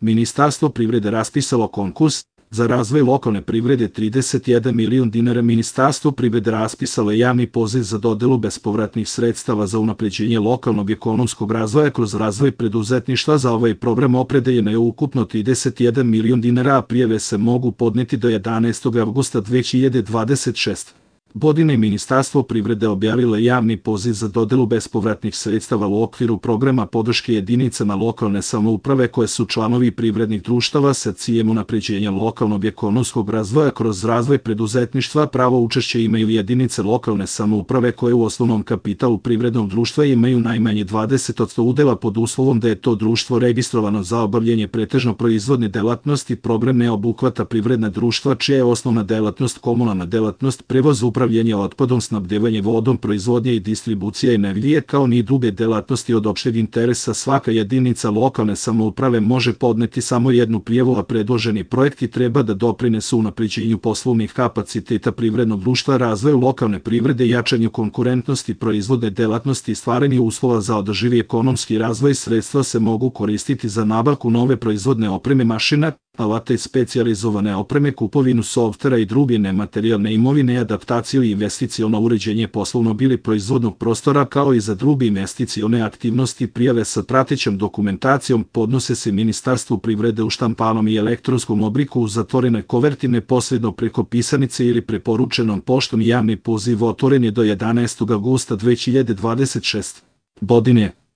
Ministarstvo privrede raspisalo konkurs za razvoj lokalne privrede 31 milion dinara. Ministarstvo privrede raspisalo je javni poziv za dodelu bespovratnih sredstava za unapređenje lokalnog ekonomskog razvoja kroz razvoj preduzetništva. Za ovaj program opredeljeno je ukupno 31 milion dinara, a prijave se mogu podneti do 11. avgusta 2026. godine. Ministarstvo privrede objavilo je javni poziv za dodelu bespovratnih sredstava u okviru programa podrške jedinicama lokalne samouprave koje su članovi privrednih društava sa ciljem unapređenja lokalnog ekonomskog razvoja kroz razvoj preduzetništva. Pravo učešće imaju jedinice lokalne samouprave koje u osnovnom kapitalu privrednog društva imaju najmanje 20% udela pod uslovom da je to društvo registrovano za obavljanje pretežno proizvodne delatnosti. Program ne obuhvata privredna društva čija je osnovna delatnost komunalna delatnost, prevoz, upravljanje otpadom, snabdevanje vodom, proizvodnja i distribucija energije, kao ni druge delatnosti od opšteg interesa. Svaka jedinica lokalne samouprave može podneti samo jednu prijavu, a predloženi projekti treba da doprinesu unapređenju poslovnih kapaciteta privrednog društva, razvoju lokalne privrede, jačanju konkurentnosti proizvodne delatnosti i stvaranju uslova za održivi ekonomski razvoj. Sredstva se mogu koristiti za nabavku nove proizvodne opreme, mašina, alata i specijalizovane opreme, kupovinu softvera i druge nematerijalne imovine, adaptaciju i investiciono uređenje poslovnog ili proizvodnog prostora, kao i za druge investicione aktivnosti. Prijave sa pratećom dokumentacijom podnose se Ministarstvu privrede u štampanom i elektronskom obliku u zatvorenoj koverti, neposredno preko pisanice ili preporučenom poštom. Javni poziv otvoren je do 11. avgusta 2026. godine.